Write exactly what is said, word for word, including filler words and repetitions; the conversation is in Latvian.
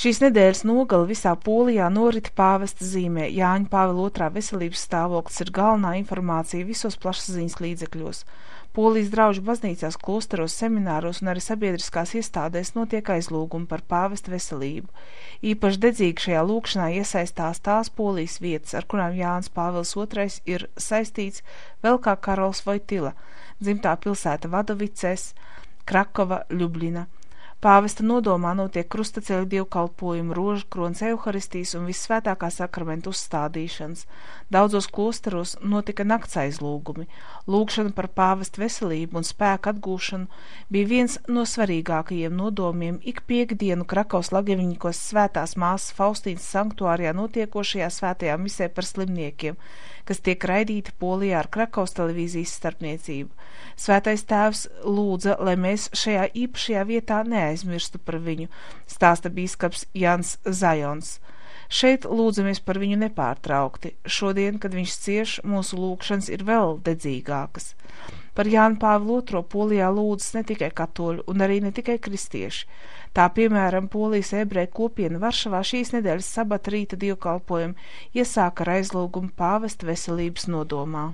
Šīs nedēļas nogali visā Polijā norita pāvesta zīmē. Jāņa Pāvila otrā veselības stāvoklis ir galvenā informācija visos plašsaziņas līdzekļos. Polijas draužu baznīcās, klosteros, semināros un arī sabiedriskās iestādēs notiek aizlūgumi par pāvesta veselību. Īpaši dedzīgi šajā lūgšanā iesaistās tās Polijas vietas, ar kurām Jānis Pāvils otrais ir saistīts, vēl kā Karols Vojtila, dzimtā pilsēta Vadovicēs, Krakova, Ļubļina. Pāvesta nodomā notiek krustaceļa dievkalpojumu, rožu kronas evaharistijas un vissvētākā sakramenta uzstādīšanas. Daudzos klosteros notika nakts aizlūgumi. Lūgšana par pāvesta veselību un spēku atgūšanu bija viens no svarīgākajiem nodomiem ik piekdienu Krakaus Lageviņikos svētās māsas Faustīnas sanktuārijā notiekošajā svētajā misē par slimniekiem, kas tiek raidīta Polijā ar Krakaus televīzijas starpniecību. Svētais tēvs lūdza, lai mēs šajā īpašajā vietā neaizmirstu par viņu, stāsta bīskaps Jans Zajons. Šeit lūdzamies par viņu nepārtraukti. Šodien, kad viņš cieš, mūsu lūgšanas ir vēl dedzīgākas. Par Jānu Pāvilu otro Polijā lūdzas ne tikai katoļu un arī ne tikai kristieši. Tā, piemēram, Polijas ebreju kopiena Varšavā šīs nedēļas sabata rīta dievkalpojumu iesāka ar aizlūgumu pāvesta veselības nodomā.